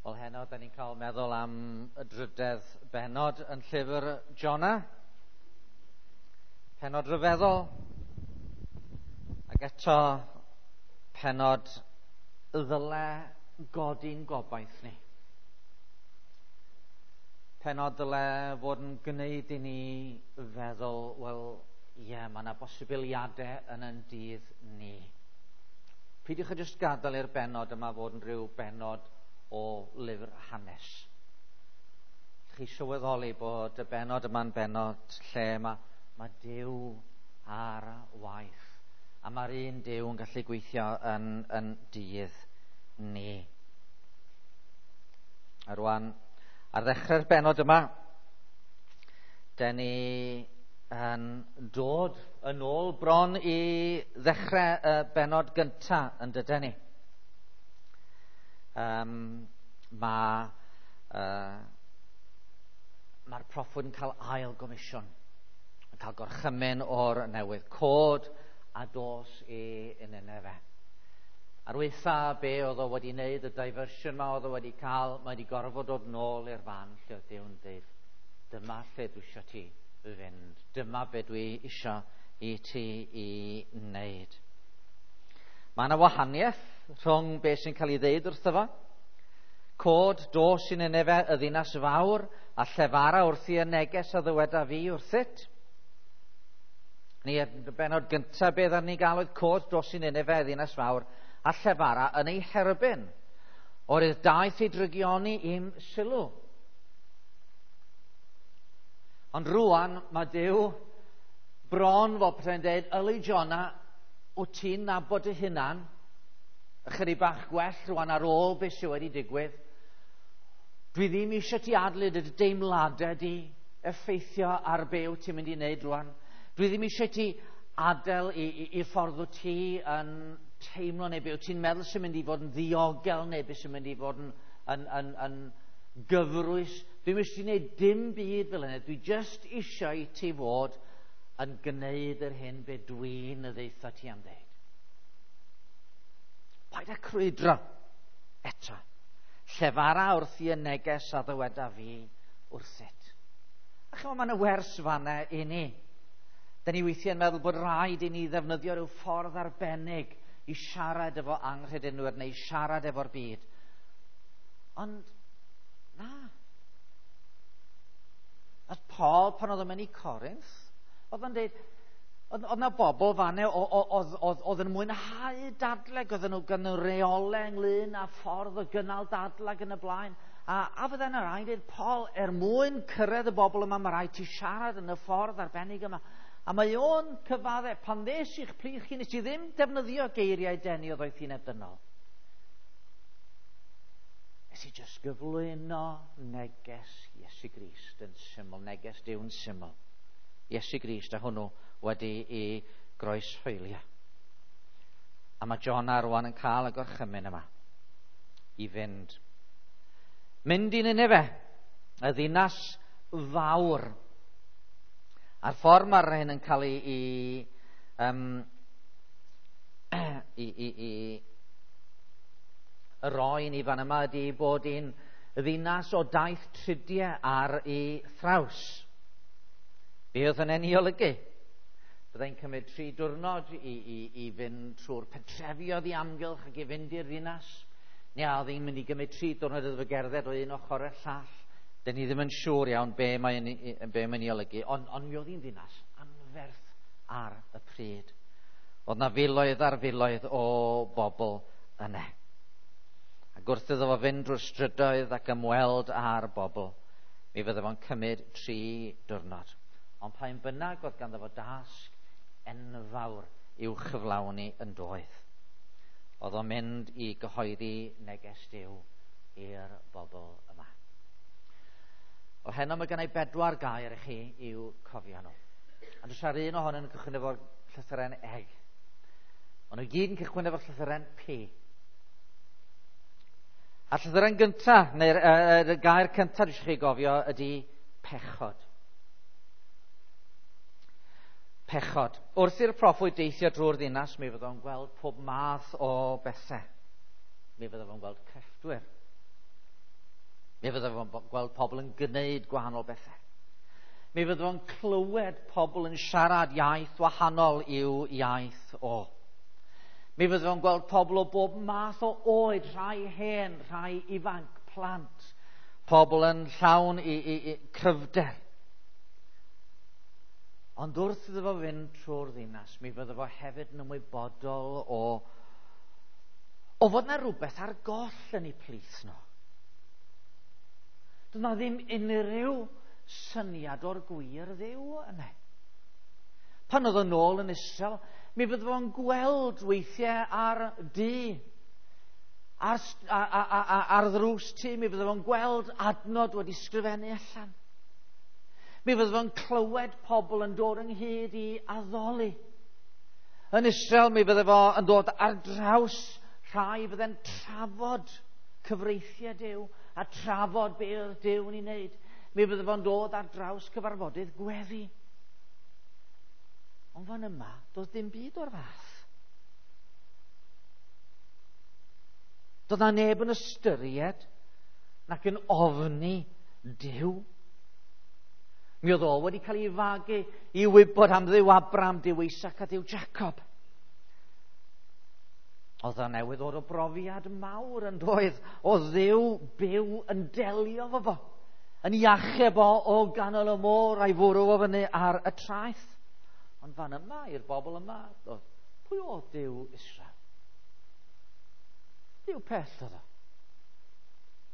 Wel, heno, da ni'n cael meddwl am y drydedd bennod yn llyfr Jona. Pennod ryfeddol. Ac eto, pennod ddyle godi'n gobaith ni. Pennod ddyle fod yn gwneud i ni feddwl, wel, ie, yeah, mae yna bosibiliadau yn yn dydd ni. Peidiwch â jyst gadael i'r bennod yma fod yn rhyw bennod o lyfr hanes. Chi sylweddoli bod y bennod yma'n bennod lle mae Duw ar waith. A mae'r un Duw yn gallu gweithio yn dydd ni. A rwan, ar ddechrau'r bennod yma, den ni yn dod yn ôl bron i ddechrau y bennod gyntaf yn dyden ni. Mae'r proffwyd yn cael ail gomisiwn, yn cael gorchymyn o'r newydd, cod a dos i Nineve. Ar waetha be oedd o wedi wneud, y diversion ma oedd o wedi cael, mae wedi gorfod dod nôl i'r fan lle oedd Duw'n dweud, dyma lle dwi eisiau ti fynd, dyma be dwi eisiau i ti i wneud. Mae yna wahaniaeth rhwng beth sy'n cael ei ddeud wrtho fo. Cod, dos i Nineve, y ddinas fawr, a llefara wrthi y neges a ddyweda fi wrthyt. Ni y bennod gyntaf beth ar ni gael oedd cod, dos i Nineve, y ddinas fawr, a llefara yn ei herbyn. O'r daeth ei drygioni i'm sylw. Ond rwan mae Duw bron fel petai'n dweud, yli Jona, wyt ti'n nabod dy hunan ychydig bach gwell rwan ar ôl beth sydd wedi digwydd. Dwi ddim eisiau ti adlyd y deimladau di effeithio ar be wyt ti'n mynd i wneud rwan. Dwi ddim eisiau ti adael i ffordd wyt ti yn teimlo neu be wyt ti'n meddwl sy'n mynd i fod yn ddiogel neu beth sy'n mynd i fod yn gyfrwys. Dwi'm eisiau ti wneud dim byd fel yna. Dwi just eisiau i ti fod yn gwneud yr hyn be dwi'n ddeutha ti am ddeud. Paid â crwydro eto. Llefara wrthi y neges a ddyweda fi wrthyt. A chymod, mae yna wers fanna i ni. Da ni weithiau'n meddwl bod rhaid i ni ddefnyddio rhyw ffordd arbennig i siarad efo anghredinwyr neu siarad efo'r byd. Ond, na. Oedd Paul, pan oedd o'n mynd i Corinth, oedd o'n dweud, oedd yna bobl fanna oedd yn mwynhau dadleg, oedd nhw gan reolau ynglyn â ffordd o gynnal dadleg yn y blaen. A fydde yna rhaid dweud, Paul, er mwyn cyrraedd y bobl yma, mae rhaid ti siarad yn y ffordd arbennig yma. A mae o'n cyfadde, pan ddes i'ch plith chi, nes i ddim defnyddio geiriau denu o ddoethineb dynol. Nes i jyst gyflwyno neges Iesu Grist yn syml, neges Duw'n syml. Iesu Grist a hwnnw wedi i groeshoelio. A mae Jona rwan yn cael y gorchymyn yma i fynd. Mynd i Nineve, y ddinas fawr. A'r ffordd mae'r hyn yn cael ei roi ni fan yma ydy bod hi'n ddinas o daith tridiau ar ei thraws. Be oedd hynny'n ei olygu? Byddai'n cymryd 3 diwrnod i fynd trwy'r pentrefi oedd i amgylch ac i fynd i'r ddinas. Neu a oedd hi'n mynd i gymryd 3 diwrnod iddo fo gerdded o un ochr i'r llall. Dyn ni ddim yn siŵr iawn be mae'n ei olygu, ond mi oedd hi'n ddinas anferth ar y pryd. Oedd na filoedd ar filoedd o bobl yna. Ac wrth iddo fo fynd drwy'r strydoedd ac ymweld â'r bobl, mi fydde fo'n cymryd 3 diwrnod. Ond pa un bynnag oedd ganddo fo dasg enfawr i'w chyflawni yn doedd. Oedd o'n mynd i gyhoeddi neges Duw i'r bobl yma. Wel, heno mae gennau 4 gair i chi i'w cofio nhw. Ond oes ar un ohonyn nhw'n cychwyn efo'r llythyren E. Ond nhw gyd yn cychwyn efo'r llythyren P. A'r llythyren gyntaf, neu'r gair cyntaf dwi eisiau chi gofio ydy pechod. Pechod. Wrth i'r proffwyd deithio drwy'r ddinas, mi fydd o'n gweld pob math o bethau. Mi fydd o'n gweld crefftwyr. Mi fydde fo'n gweld pobl yn gwneud gwahanol bethau. Mi fydde fo'n clywed pobl yn siarad iaith wahanol i'w iaith o. Mi fydde fo'n gweld pobl o bob math o oed, rhai hen, rhai ifanc, plant, pobl yn llawn i cryfder. Ond wrth iddo fo fynd trwy'r ddinas, mi fydde fo hefyd yn ymwybodol o fod 'na rhywbeth ar goll yn eu plith nhw. Doedd 'na ddim unrhyw syniad o'r gwir Dduw yna. Pan oedd o'n ôl yn Israel, mi fydde fo'n gweld weithiau ar dŷ, ar ddrws tŷ, mi fydde fo'n gweld adnod wedi sgrifennu allan. Mi fydde fo'n clywed pobl yn dod ynghyd i addoli. Yn Israel, mi fydde fo yn dod ar draws rhai fydde'n trafod cyfreithiau Duw a trafod be oedd Duw yn ei wneud. Mi fydde fo'n dod ar draws cyfarfodydd gweddi. Ond fan yma, doedd dim byd o'r fath. Doedd na neb yn ystyried nac yn ofni Duw. Mi oedd o wedi cael ei fagu i wybod am Dduw Abraham, Duw Isaac a Duw Jacob. Oedd o newydd ddod o brofiad mawr yn doedd o Dduw byw yn delio fo fo, yn ei achub o o ganol y môr a'i fwrw o fyny ar y traeth. Ond fan yma, i'r bobl yma, oedd, pwy oedd Duw Israel? Duw pell oedd o.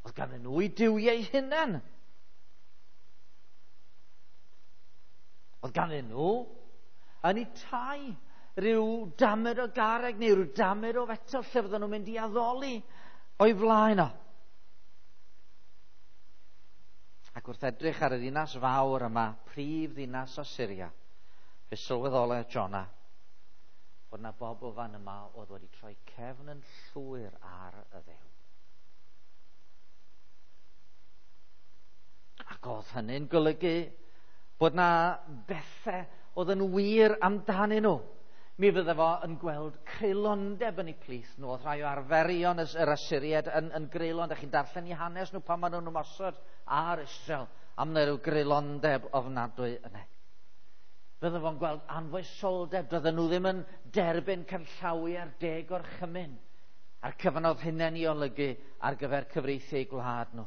Oedd ganddyn nhw eu duwiau hunain. Oedd ganddyn nhw yn eu tai rhyw damed o garreg neu rhyw damed o fetel lle fydden nhw'n mynd i addoli o'i flaen o. Ac wrth edrych ar y ddinas fawr yma, prif ddinas Asyria, fe sylweddolai Jona fod yna bobl fan yma oedd wedi troi cefn yn llwyr ar y Dduw. Ac oedd hynny'n golygu bod na bethau oedd yn wir amdanyn nhw. Mi fydde fo yn gweld creulondeb yn eu plith nhw. Oedd rhai o arferion yr Asyriaid yn greulon. Dach chi'n darllen eu hanes nhw pan maen nhw'n ymosod ar Israel am na ryw greulondeb ofnadwy yna. Fydde fo'n gweld anfoesoldeb. Doedden nhw ddim yn derbyn canllawiau'r deg orchymyn a'r cyfan oedd hynny'n ei olygu ar gyfer cyfreithiau gwlad nhw.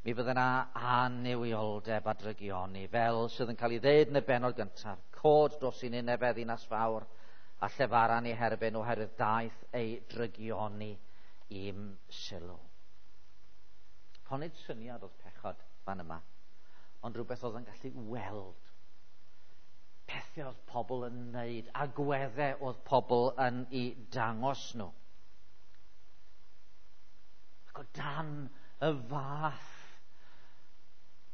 Mi fydde yna annuwioldeb a drygioni, fel sydd yn cael ei ddeud yn y bennod gyntaf. Cod dos i Ninefeh ddinas fawr a llefaran ei herbyn oherwydd daeth ei drygioni i'm sylw. Honid syniad oedd pechod fan yma, ond rhywbeth oedd yn gallu weld. Pethau oedd pobl yn wneud, agweddau oedd pobl yn ei dangos nhw. Ac o dan y fath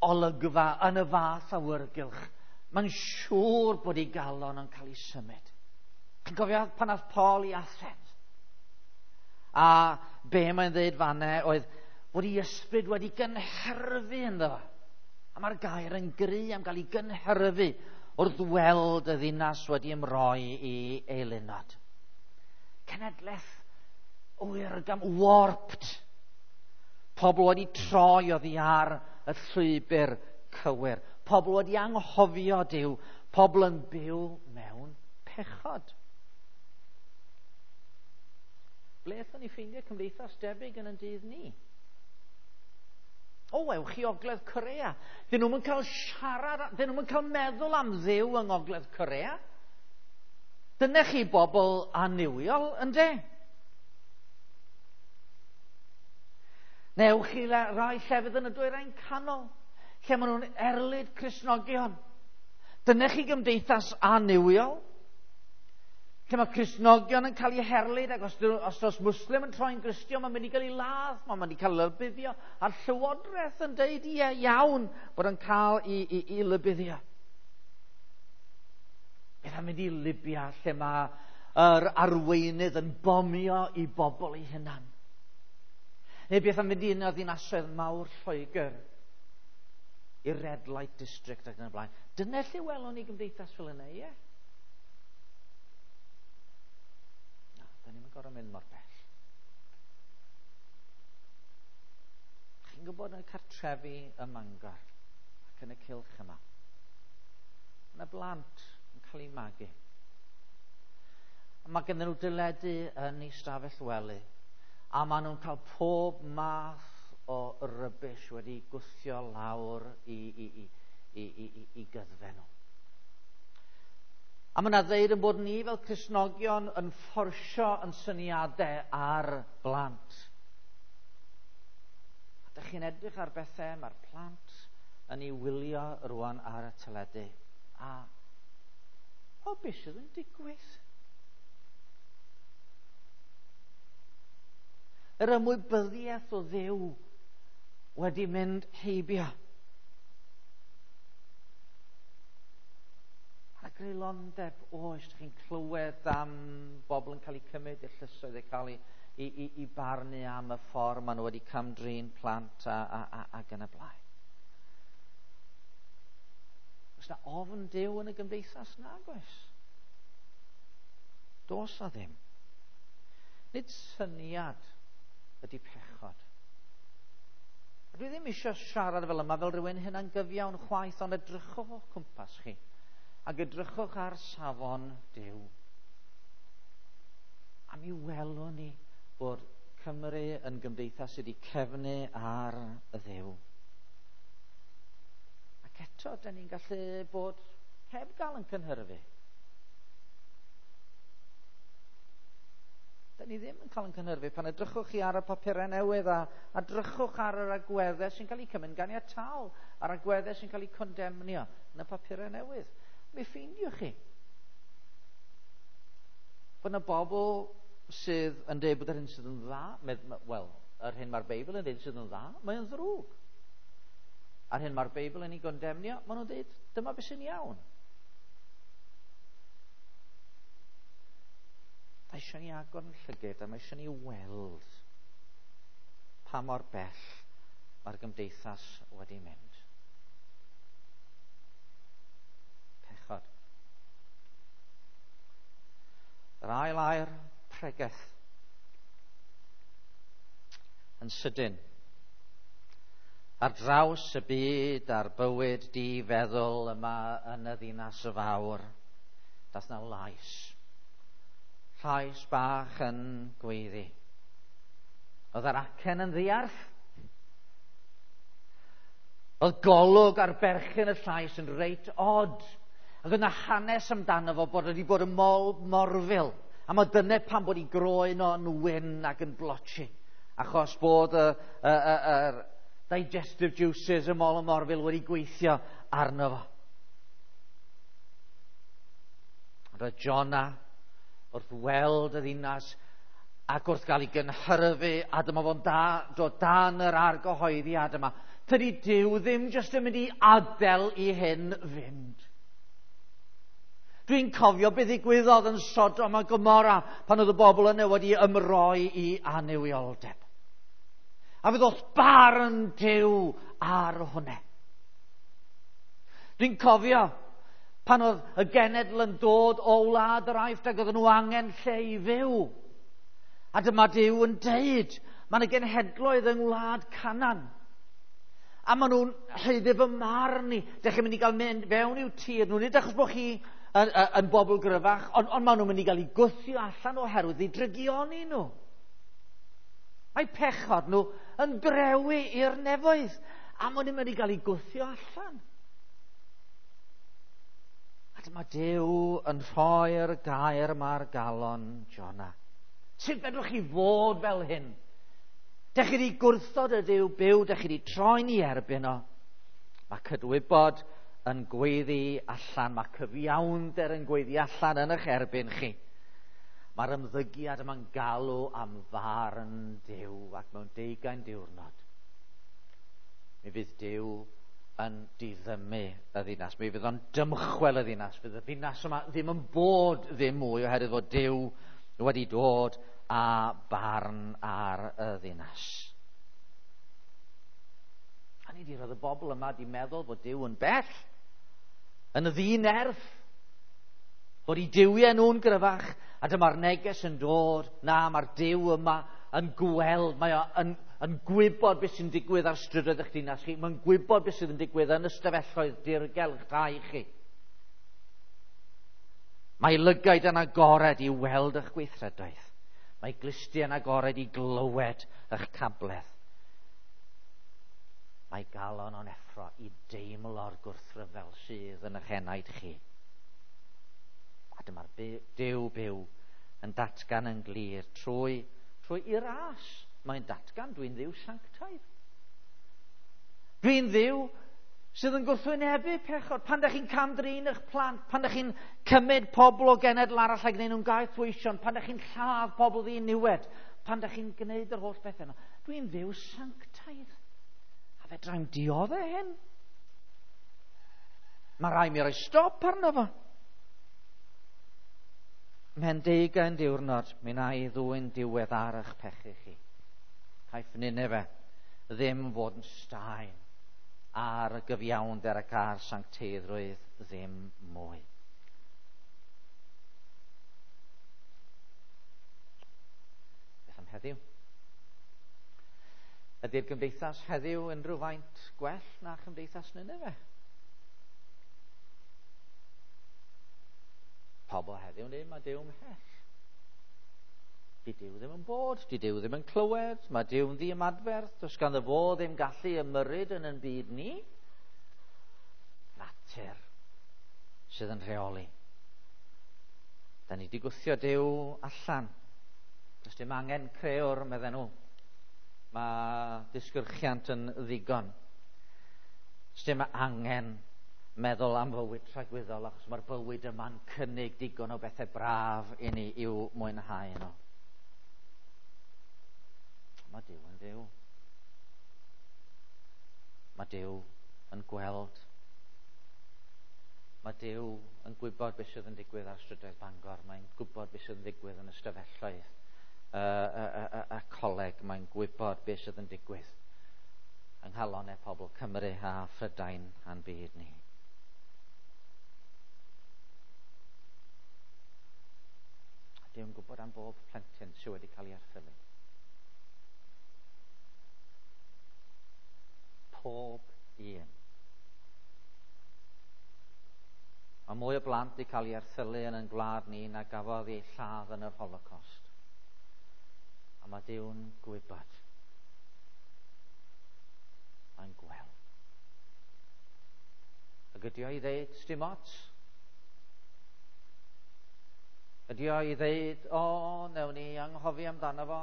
olygfa, yn y fath awyrgylch, mae'n siŵr bod ei galon yn cael ei symud. Chi'n cofio pan ath Paul i Athens? A be mae'n dweud fanne oedd bod ei ysbryd wedi gynhyrfu ynddo fo. A mae'r gair yn gry am gael ei gynhyrfu wrth weld y ddinas wedi ymroi i eilunod. Cenedlaeth oergam, warped. Pobl wedi troi oddi ar y llwybr cywir. Pobl wedi anghofio Duw. Pobl yn byw mewn pechod. Ble allwn ni ffeindio cymdeithas debyg yn ein dydd ni? O, ewch i Ogledd Corea. Dyn nhw'm yn cael siarad, dyn nhw'm yn cael meddwl am Dduw yng Ngogledd Corea. Dyna chi bobl annuwiol, ynde? Newch chi rai llefydd yn y dwyrain canol, lle maen nhw'n erlid Cristnogion. Dyna chi gymdeithas annuwiol, lle mae Cristnogion yn cael eu herlid, ac os oes Muslim yn troi'n Gristion, mae'n mynd i gael ei ladd, mae'n mynd i cael ei lybuddio, a'r llywodraeth yn deud ie iawn bod yn cael ei lybuddio. Beth am mynd i Libya, lle mae yr arweinydd yn bomio i bobl ei hunan? Neu beth am fynd i un o ddinasoedd mawr Lloegr, i'r Red Light District ac yn y blaen. Dyna lle welwn ni gymdeithas fel yna, ie? Na, da ni'n gorfod mynd mor bell. Chi'n gwybod yn y cartrefi ym Mangor ac yn y cylch yma, mae yna blant yn cael eu magu. A mae gennym nhw dyledu yn eu stafell wely, a maen nhw'n cael pob math o rubbish wedi gwthio lawr i gyddfe nhw. A mae yna ddeud yn bod ni fel Cristnogion yn fforsio yn syniadau ar blant. A dych chi'n edrych ar bethau mae'r plant yn ei wylio rwan ar y teledu. A o, beth sydd yn digwydd? Yr ymwybyddiaeth o Dduw wedi mynd heibio. A greulondeb oes, dych chi'n clywed am bobl yn cael eu cymryd i'r llysoedd, eu cael eu barnu am y ffordd maen nhw wedi cam-drin plant ac yn y blaen. Oes na ofn Duw yn y gymdeithas? Nag oes. Does na ddim. Nid syniad ydy pechod. A dwi ddim eisiau siarad fel yma fel rhywun hunangyfiawn chwaith, ond edrychwch o'ch cwmpas chi ac edrychwch ar safon Duw. A mi welwn ni bod Cymru yn gymdeithas sydd wedi cefnu ar y Dduw. Ac eto, da ni'n gallu bod heb gael yn cynhyrfu. Da ni ddim yn cael yn cynhyrfu. Pan edrychwch chi ar y papurau newydd a edrychwch ar yr agweddau sy'n cael eu cymryd ganiataol, a'r agweddau sy'n cael eu condemnio yn y papurau newydd, mi ffeindiwch chi bod yna bobl sydd yn dweud bod yr hyn sydd yn dda, wel, yr hyn mae'r Beibl yn dweud sydd yn dda, mae'n ddrwg. A'r hyn mae'r Beibl yn ei gondemnio, maen nhw'n dweud, dyma beth sy'n iawn. Mae eisiau ni agor yn llygad a mae eisiau ni weld pa mor bell mae'r gymdeithas wedi mynd. Pechod. Yr ail air, pregeth. Yn sydyn. Ar draws y byd a'r bywyd di-feddwl yma yn y ddinas fawr, dath na lais. Llais bach yn gweiddi. Oedd yr acen yn ddiarth? Oedd golwg ar berchen y llais yn reit od. Ac oedd yna hanes amdano fo bod wedi bod yn mol morfil. A mae dyna pam bod ei groen o'n wyn ac yn blotchy. Achos bod y digestive juices y mol y morfil wedi gweithio arno fo. Roedd Jonah wrth weld y ddinas ac wrth gael ei gynhyrfu, a dyma fo'n dod dan yr argyhoeddiad yma. Tydi Duw ddim jyst yn mynd i adael i hyn fynd. Dwi'n cofio beth ddigwyddodd yn Sodom a Gomorra pan oedd y bobl yna wedi ymroi i annuwioldeb. A fe ddoth barn Duw ar hwnna. Dwi'n cofio pan oedd y genedl yn dod o wlad yr Aifft ac oedden nhw angen lle i fyw. A dyma Duw yn deud, mae yna genhedloedd yng ngwlad Canaan. A maen nhw'n haeddu fy marn i. Dych chi'n mynd i gael mynd fewn i'w tir nhw. Nid achos bod chi yn bobl gryfach, ond maen nhw'n mynd i gael eu gwthio allan oherwydd eu drygioni nhw. Mae pechod nhw yn drewi i'r nefoedd, a maen nhw'n mynd i gael eu gwthio allan. A dyma Duw yn rhoi'r gair yma ar galon Jonah. Sut fedrwch chi fod fel hyn? Dych chi wedi gwrthod y Duw byw, dych chi wedi troi'n ei erbyn o. Mae cydwybod yn gweiddi allan, mae cyfiawnder yn gweiddi allan yn eich erbyn chi. Mae'r ymddygiad yma'n galw am farn Duw, ac mewn 20 diwrnod mi fydd Duw yn diddymu y ddinas. Mi fydd o'n dymchwel y ddinas. Fydd y ddinas yma ddim yn bod ddim mwy oherwydd fod Duw wedi dod â barn ar y ddinas. A ni di roedd y bobl yma di meddwl bod Duw yn bell, yn ddinerth, bod eu duwiau nhw'n gryfach, a dyma'r neges yn dod, na, mae'r Duw yma yn gweld, mae o yn yn gwybod beth sy'n digwydd ar strydoedd eich dinas chi. Mae'n gwybod beth sydd yn digwydd yn ystafelloedd dirgel eich tai chi. Mae lygaid yn agored i weld eich gweithredoedd. Mae glustiau yn agored i glywed eich cabledd. Mae galon o'n effro i deimlo'r gwrthryfel sydd yn eich enaid chi. A dyma'r Duw byw yn datgan yn glir trwy i ras. Mae'n datgan, dwi'n Dduw sanctaidd. Dwi'n Dduw sydd yn gwrthwynebu pechod. Pan ydych chi'n cam-drin eich plant, pan ydych chi'n cymryd pobl o genedl arall a gwneud nhw'n gaethweision, pan ydych chi'n lladd pobl ddiniwed, pan ydych chi'n gwneud yr holl bethau yna. Dwi'n Dduw sanctaidd. A fedrai'm dioddef hyn. Mae rhaid mi roi stop arno fo. Mhen 20 diwrnod, mi wna i ddwyn diwedd ar eich pechu chi. Caiff Nineve ddim fod yn staen ar y gyfiawnder ac ar sancteiddrwydd ddim mwy. Beth am heddiw? Ydy'r gymdeithas heddiw unrhyw faint gwell na chymdeithas Nineve? Pobl heddiw yn dweud, mae Duw ymhell. Di Duw ddim yn bod, di Duw ddim yn clywed, mae Duw'n ddiymadferth, does ganddo fo ddim gallu ymyrryd yn ein byd ni. Natur sydd yn rheoli. Da ni wedi gwthio Duw allan. Does dim angen crëwr, medden nhw. Mae disgyrchiant yn ddigon. Does dim angen meddwl am fywyd tragwyddol, achos mae'r bywyd yma'n cynnig digon o bethau braf i ni i'w mwynhau nhw. Mae Duw yn Dduw. Mae Duw yn gweld. Mae Duw yn gwybod beth sydd yn digwydd ar strydoedd Bangor. Mae'n gwybod beth sydd yn digwydd yn ystafelloedd y coleg. Mae'n gwybod beth sydd yn digwydd yng nghalonnau pobl Cymru a Phrydain a'n byd ni. Duw'n gwybod am bob plentyn sydd wedi cael ei erthylu. Pob un. Mae mwy o blant wedi cael ei erthylu yn ein gwlad ni na gafodd ei lladd yn yr Holocaust. A mae Duw'n gwybod. Mae'n gweld. Ac ydy o i ddeud, sdim ots? Ydy o i ddeud, o, newn ni anghofio amdano fo?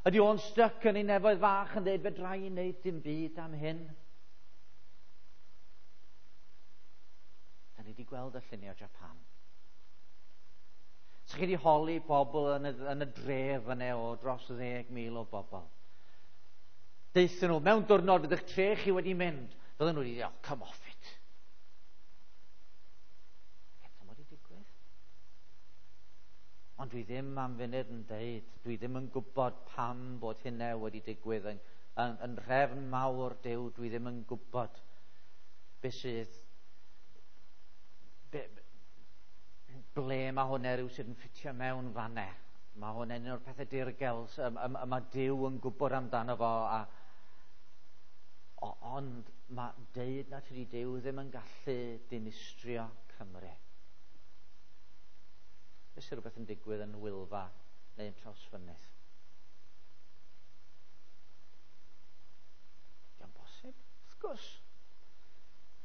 Ydy o'n styc yn ei nefoedd fach yn dweud, fedra i wneud dim byd am hyn? Da ni wedi gweld y lluniau o Japan. Sa chi wedi holi bobl yn y dref yna o dros 10,000 o bobl. Deuthon nhw, mewn diwrnod fydd eich tre chi wedi mynd. Fydden nhw wedi dweud, oh, come off it. Eto wedi digwydd. Ond dwi ddim am funud yn deud, dwi ddim yn gwybod pam bod hynna wedi digwydd yn nhrefn mawr Duw, dwi ddim yn gwybod beth sydd, ble mae hwnna rhyw sydd yn ffitio mewn fanne. Mae hwnna'n un o'r pethau dirgel mae Duw yn gwybod amdano fo. Ond mae deud na tydi Duw ddim yn gallu dinistrio Cymru. Beth sy'n rhywbeth yn digwydd yn Wylfa neu yn Trawsfynydd? Dio'n bosib, wrth gwrs.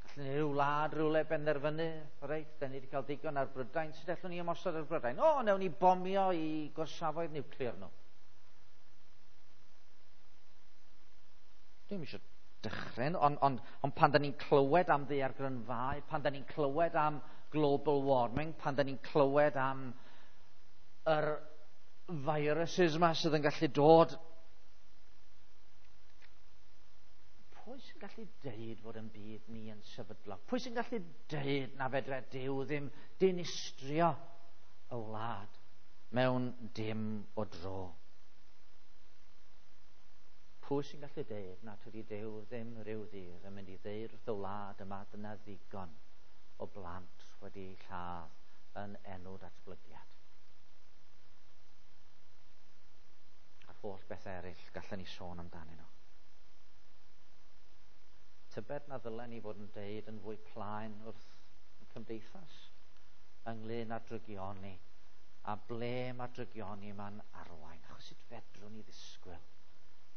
Gallwn ni ryw wlad rhywle benderfynu, reit, da ni wedi cael digon ar Brydain, sut allwn ni ymosod ar Brydain? O, newn ni bomio i gorsafoedd niwclear nhw. Dwi'm eisiau dychryn, ond pan da ni'n clywed am ddaeargrynfâu, pan da ni'n clywed am global warming, pan da ni'n clywed am yr viruses yma sydd yn gallu dod, pwy sy'n gallu deud fod yn byd ni yn sefydlog? Pwy sy'n gallu deud na fedre Duw ddim dinistrio y wlad mewn dim o dro? Pwy sy'n gallu deud na tydi Duw ddim rhyw ddydd yn mynd i ddeud wrth y wlad yma dyna ddigon o blant wedi lladd yn enw datblygiad? A'r holl beth eraill gallen ni sôn amdanyn nhw. Tybed na ddylen ni fod yn deud yn fwy plaen wrth y cymdeithas ynglyn â drygioni a ble mae'r drygioni yma'n arwain. Achos sut fedrwn ni ddisgwyl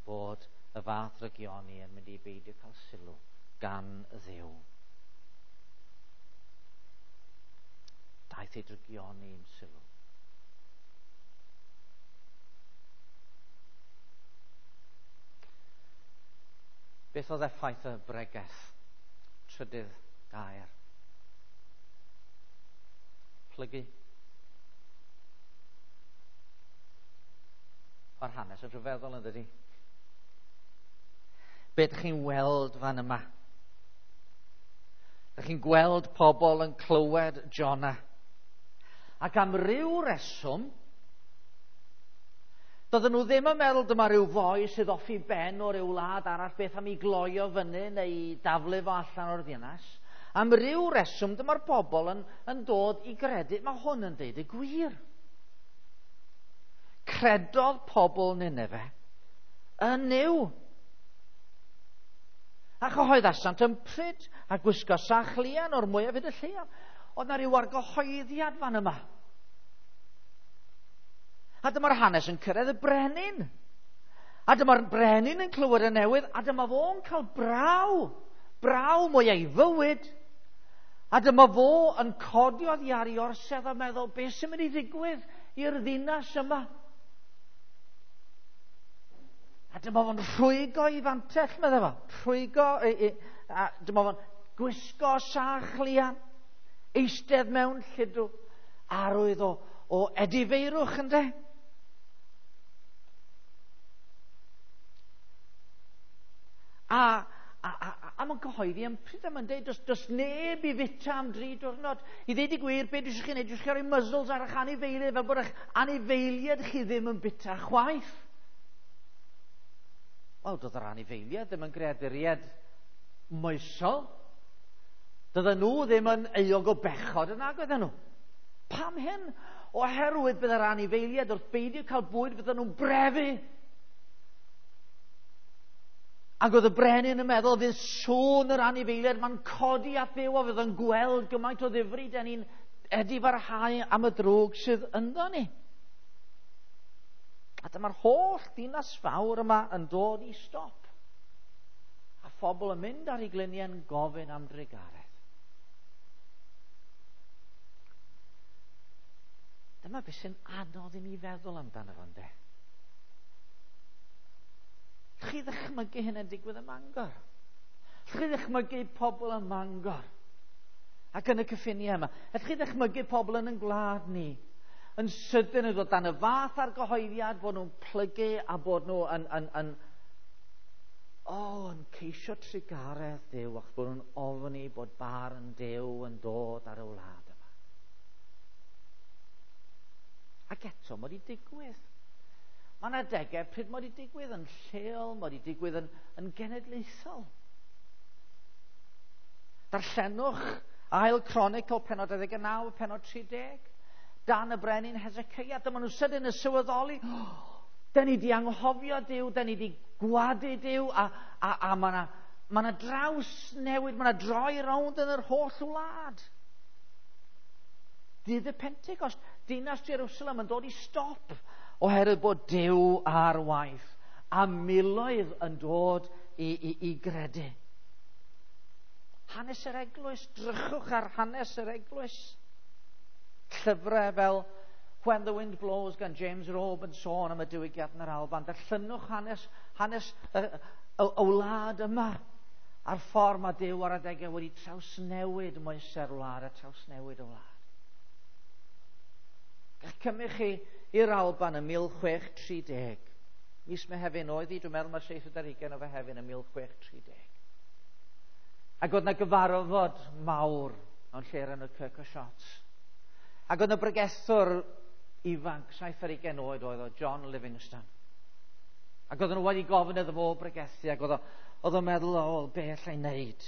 bod y fath drygioni yn mynd i beidio cael sylw gan Dduw. Daeth ei drygioni i'm sylw. Beth oedd effaith y bregeth? Trydydd gair. Plygu. Mae'r hanes yn rhyfeddol yn dydi? Be ydych chi'n weld fan yma? Ydych chi'n gweld pobl yn clywed Jonah. Ac am ryw reswm, doedden nhw ddim yn meddwl dyma ryw foi sydd off i ben o ryw wlad arall, beth am i gloio fyny neu i daflu fo allan o'r ddinas. Am ryw reswm, dyma'r bobl yn dod i gredu, mae hwn yn deud y gwir. Credodd pobl Nineve yn Nuw. A chyhoeddasant yn pryd a gwisgo sachlian o'r mwyaf hyd y lleiaf. Oedd na ryw argyhoeddiad fan yma. A dyma'r hanes yn cyrraedd y brenin. A dyma'r brenin yn clywed y newydd, a dyma fo'n cael braw. Braw mwy ei fywyd. A dyma fo yn codi oddi ar ei orsedd a meddwl, beth sy'n mynd i ddigwydd i'r ddinas yma? A dyma fo'n rhwygo i fantell, meddai fo. Rhwygo, a dyma fo'n gwisgo sachlian, eistedd mewn lludw, arwydd o edifeirwch, ynde? A mae'n cyhoeddi am pryd yma'n dweud, does neb i fita am 3 diwrnod. I ddeud y gwir, be dwi eisiau chi wneud? Dwi eisiau chi roi muzzles ar eich anifeiliaid, fel bod eich anifeiliaid chi ddim yn bita chwaith. Wel, doedd yr anifeiliaid ddim yn greaduriaid moesol. Doedden nhw ddim yn euog o bechod yn nag oedden nhw. Pam hyn? Oherwydd bydd yr anifeiliaid wrth beidio cael bwyd, bydden nhw'n brefu. Ac oedd y brenin yn meddwl fydd sŵn yr anifeiliaid ma'n codi at Dduw a fydd yn gweld gymaint o ddifri dan ni'n edifarhau am y drwg sydd ynddo ni. A dyma'r holl ddinas fawr yma yn dod i stop. A phobl yn mynd ar eu gliniau yn gofyn am drugaredd. Dyma beth sy'n anodd i ni feddwl amdano fo, ynde? Chi ddychmygu hyn yn digwydd ym Mangor? Chi ddychmygu pobl ym Mangor? Ac yn y cyffiniau yma? Chi ddychmygu pobl yn ein gwlad ni? Yn sydyn yn dod dan y fath argyhoeddiad bod nhw'n plygu a bod nhw yn ceisio trugaredd Duw, achos bod nhw'n ofni bod barn Duw yn dod ar y wlad yma. Ac eto, mae wedi digwydd. Mae yna adegau pryd mae wedi digwydd yn lleol, mae wedi digwydd yn genedlaethol. Darllenwch Ail Cronicl, pennod 29, pennod 30. Dan y brenin Hezekiah, dyma nhw sydyn yn sylweddoli, da ni di anghofio Duw, da ni di gwadu Duw, a mae yna draws newid, mae yna droi rownd yn yr holl wlad. Dydd y Pentecost, dinas Jerusalem yn dod i stop oherwydd bod Duw ar waith, a miloedd yn dod i gredu. Hanes yr eglwys, drychwch ar hanes yr eglwys. Llyfrau fel When the Wind Blows gan James Robe yn sôn am y diwygiad yn yr Alban. Darllenwch hanes y wlad yma a'r ffordd mae Duw ar adegau wedi trawsnewid moesau'r wlad a trawsnewid y wlad. Gall cymryd chi i'r Alban yn 1630. Mis Mehefin oedd hi, dwi'n meddwl mae 27 o Fehefin yn 1630. Ac oedd yna gyfarfod mawr mewn lle yn y Kirk o Shots. Ac oedd yna bregethwr ifanc, 27 oed oedd o, John Livingstone. Ac oedden nhw wedi gofyn iddo fo bregethu, ac oedd o'n meddwl, o, be allai wneud?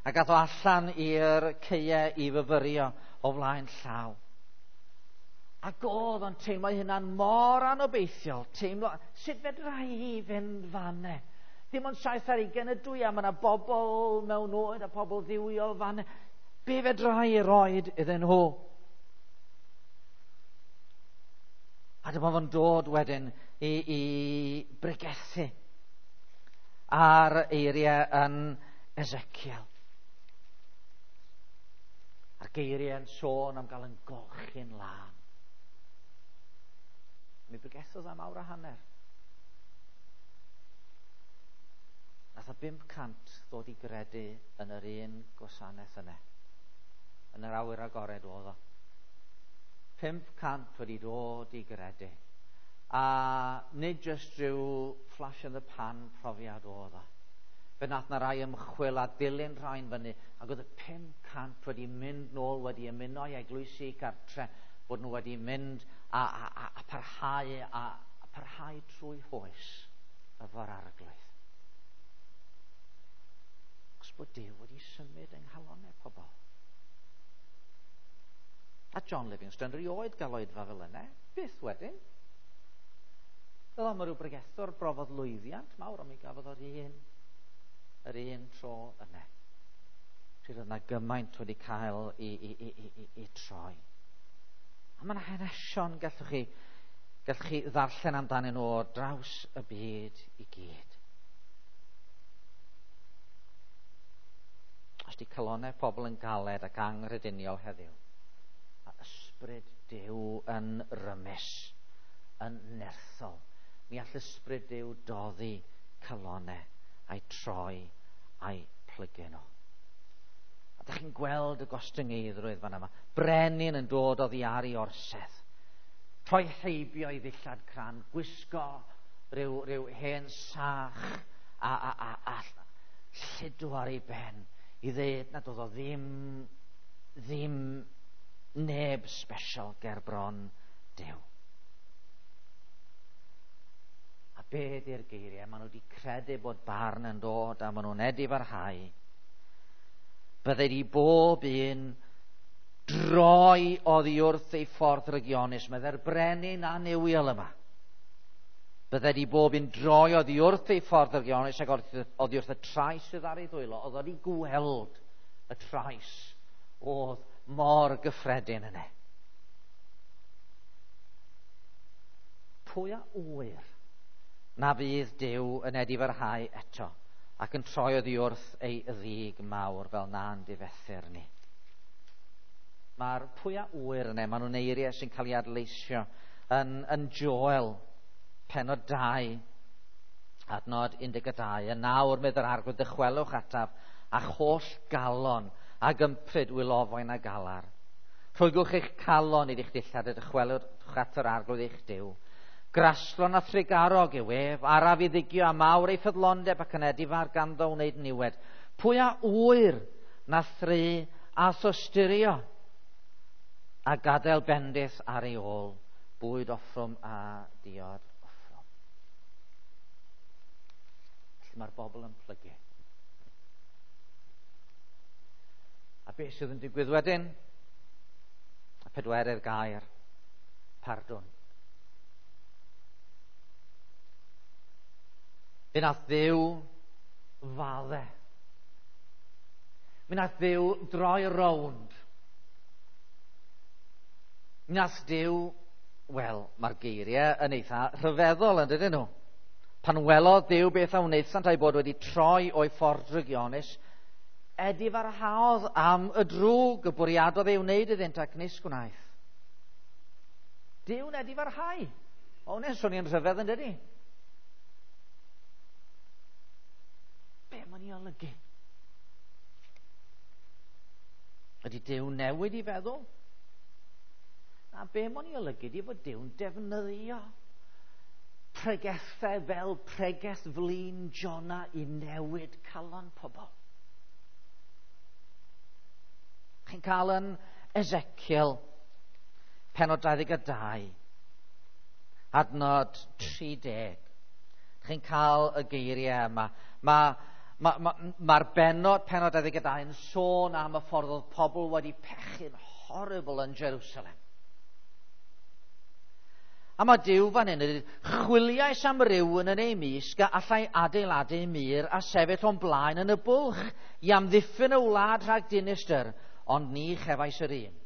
Ac ath o allan i'r caeau i fyfyrio o flaen llaw. Ac oedd o'n teimlo hynna'n mor anobeithiol. Teimlo, sut fedra i fynd fanne? Dim ond 27 ydw i, a mae yna bobl mewn oed a pobl dduwiol fanne. Be fedra i roed iddyn nhw? A dyma fo'n dod wedyn i bregethu ar eiriau yn Ezekiel. A'r geiriau yn sôn am gael yn golchi'n lân. Mi bregethodd am awr a hanner. Nath o 500 ddod i gredu yn yr un gwasanaeth yna. Yn yr awyr agored oedd o. 500 wedi dod i gredu. A nid jyst rhyw flash in the pan profiad oedd o. Fe nath na rai ymchwil a dilyn rhain fyny, ac oedd y 500 wedi mynd nôl, wedi ymuno i eglwysi cartre, bod nhw wedi mynd a parhau a parhau trwy hoes efo'r Arglwydd. Os bod Duw wedi symud yng nghalonnau pobl. A John Livingstone rioed gael oedfa fel yna, byth wedyn. Fel am ryw bregethwr brofodd lwyddiant mawr, ond mi gafodd o'r un tro yna. Pryd oedd yna gymaint wedi cael i troi. A mae yna hanesion gallwch chi ddarllen amdanyn nhw ar draws y byd i gyd. Os di calonnau pobl yn galed ac anghrediniol heddiw, a ysbryd Duw yn rymus, yn nerthol, mi all ysbryd Duw doddi calonnau a'i troi a'i plygu nhw. A dych chi'n gweld y gostyngeiddrwydd fan yma. Brenin yn dod oddi ar ei orsedd. Troi heibio i ddillad cran, gwisgo rhyw hen sach a lludw ar ei ben i ddeud nad oedd o ddim neb special ger bron Duw. A be ydy'r geiriau? Maen nhw wedi credu bod barn yn dod a maen nhw'n edifarhau. Byddai di bob un droi oddi wrth ei ffordd rygionus, meddai'r brenin annuwiol yma. Byddai di bob un droi oddi wrth ei ffordd rygionus ac oddi wrth y trais sydd ar ei ddwylo. Oedd wedi gweld y trais oedd mor gyffredin yna. Pwy a ŵyr na fydd Duw yn edifarhau eto ac yn troi oddi wrth ei ddig mawr fel na'n difethu'r ni. Mae'r pwy a ŵyr yna, maen nhw'n eiriau sy'n cael ei adleisio yn Joel, pennod 2, adnod 12. Yn nawr, medd yr Arglwydd, dychwelwch ataf, a'ch holl galon ag ympryd wylofain a galar. Rhwygwch eich calon i eich dillad a dychwelwch at yr Arglwydd eich Duw. Graslon a thrugarog yw ef, araf i ddigio a mawr ei ffyddlondeb ac yn edifar ganddo wneud niwed. Pwy a ŵyr na thru a thosturio a gadael bendith ar ei ôl, bwyd offrwm a diod offrwm. Felly mae'r bobl yn plygu. A beth sydd yn digwydd wedyn? Y pedwerydd gair, pardwn. Fe nath Dduw fadde. Mi nath Dduw droi rownd. Mi nath Duw, wel, mae'r geiriau yn eitha rhyfeddol yn dydyn nhw. Pan welodd Duw beth a wnaethant a'i bod wedi troi o'i ffordd drygionus, edifarhaodd am y drwg y bwriadodd ei wneud iddynt ac nis gwnaeth. Duw'n edifarhau. O, hwnna'n swnio'n rhyfedd yn dydi? Be mae'n ei olygu? Ydy Duw newid i feddwl? Na, be mae'n ei olygu ydy bod Duw'n defnyddio pregethau fel pregeth flin Jona i newid calon pobl. Chi'n cael yn Ezekiel, pennod 22, adnod 30. Chi'n cael y geiriau yma. Mae'r pennod 22 yn sôn am y ffordd oedd pobl wedi pechu'n horrible yn Jerusalem. A mae Duw fan hyn yn dweud, chwiliais am rywun yn ei mysg a allai adeiladu mur a sefyll o'n blaen yn y bwlch i amddiffyn y wlad rhag dinistr, ond ni chefais yr un.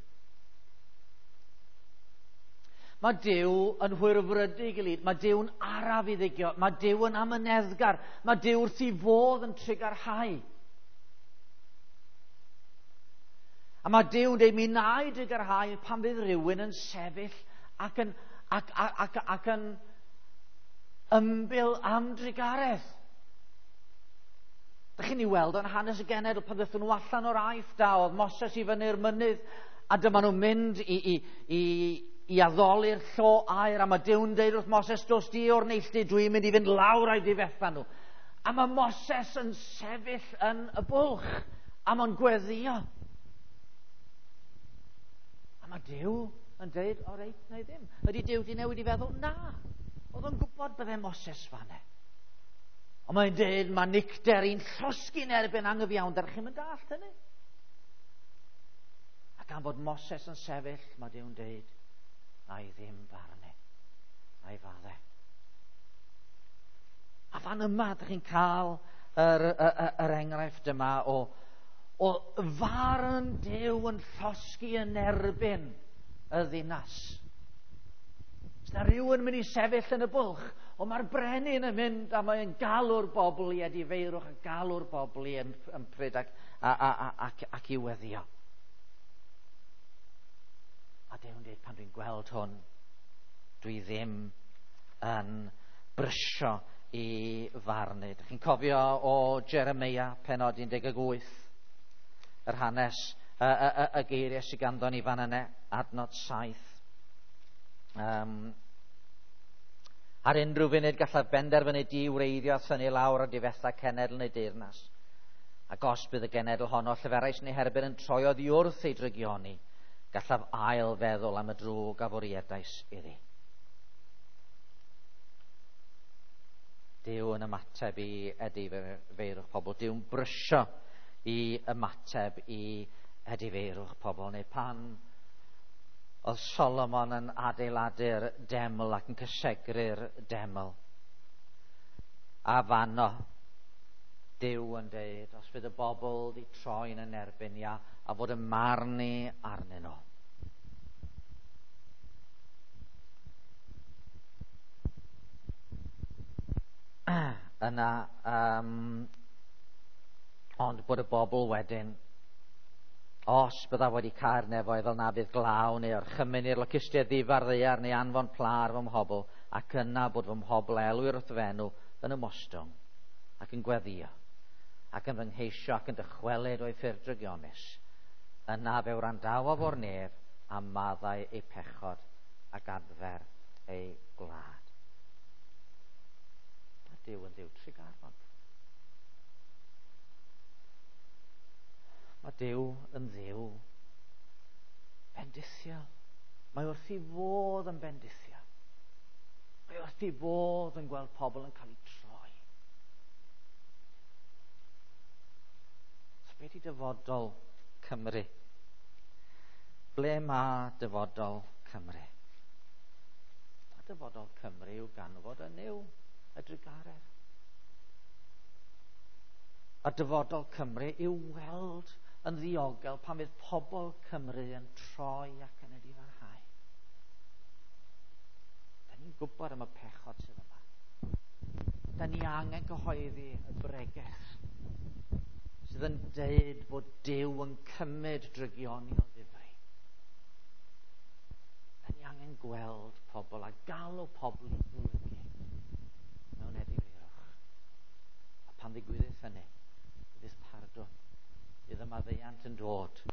Mae Duw yn hwyrfrydig i lid, mae Duw'n araf i ddigio, mae Duw yn amyneddgar, mae Duw wrth ei fodd yn trugarhau. A mae Duw'n dweud, mi na i drugarhau pan fydd rhywun yn sefyll ac yn, ac, ac, ac, ac yn ymbil am drugaredd. Dych chi'n ei weld o'n hanes y genedl pan ddaethon nhw allan o'r Aifft a oedd Moses i fyny'r mynydd a dyma nhw'n mynd i, i, i, i addoli'r llo aur a mae Duw'n deud wrth Moses, dos di o'r neilltu, dwi'n mynd i fynd lawr a'i difetha nhw. A mae Moses yn sefyll yn y bwlch a mae'n gweddio. A mae Duw yn deud, o reit, neu ddim. Ydy Duw di newid i feddwl? Na. Oedd o'n gwybod bydde Moses fanne. Ond mae'n deud, mae nicter i'n llosgi'n erbyn anghyfiawnder. Chi'n mynd dallt hynny? A gan fod Moses yn sefyll, mae Duw'n deud, na i ddim farnu, na i fadde. A fan yma, ydych chi'n cael yr, yr, yr enghraifft yma o, o farn Duw yn llosgi yn erbyn y ddinas. Os na rhywun mynd i sefyll yn y bwlch, ond mae'r brenin yn mynd a mae'n galw'r bobl i edifeirwch a galw'r bobl i ympryd ac, a, a, a, ac, ac i weddio. A Duw'n dweud, pan dwi'n gweld hwn, dwi ddim yn brysio i farnu. Dych chi'n cofio o Jeremia, penod 18, yr hanes, y, y, y, y geiriau sydd ganddo ni fan yna, adnod 7. Um, ar unrhyw funud gallaf benderfynu di wreiddio a thynnu lawr a difetha cenedl neu deyrnas. Ac os bydd y genedl honno lleferais neu herbyn yn troi oddi wrth ei drygioni, gallaf ail feddwl am y drwg a fwriedais iddi. Duw yn ymateb i edifeirwch pobl. Duw'n brysio i ymateb i edifeirwch pobl. Neu pan oedd Solomon yn adeiladu'r deml ac yn cysegru'r deml. A fanno, Duw yn deud, os fydd y bobl di troi'n yn erbyn ia, a fod y marn i arnyn nhw. Yna, um, ond bod y bobl wedyn, os byddaf wedi cael nefoedd fel na fydd glaw neu orchymyn i'r locustiaid ddifar ddaear neu anfon pla ar fy mhobl, ac yna bod fy mhobl elwir wrth fy enw yn ymostwng ac yn gweddio ac yn fy ngheisio ac yn dychwelyd o'i ffyrdd drygionus, yna fe wrandawof o'r nef a maddau eu pechod ac adfer eu gwlad. Mae Duw yn Dduw trugarog. Mae Duw yn Dduw bendithiol. Mae wrth ei fodd yn bendithiol. Mae wrth ei fodd yn gweld pobl yn cael eu troi. So beth i dyfodol Cymru? Ble mae dyfodol Cymru? Mae dyfodol Cymru i'w ganfod yn yw y drugaredd. A dyfodol Cymru i'w weld yn ddiogel pan fydd pobl Cymru yn troi ac yn edifarhau. Da ni'n gwybod am y pechod sydd yma. Da ni angen cyhoeddi y bregeth sydd yn deud bod Duw yn cymryd drygioni o ddifri. Da ni angen gweld pobl a galw pobl i blygu mewn edifeirwch. A pan ddigwyddith hynny, bydd pardwn, bydd y maddeuant yn dod.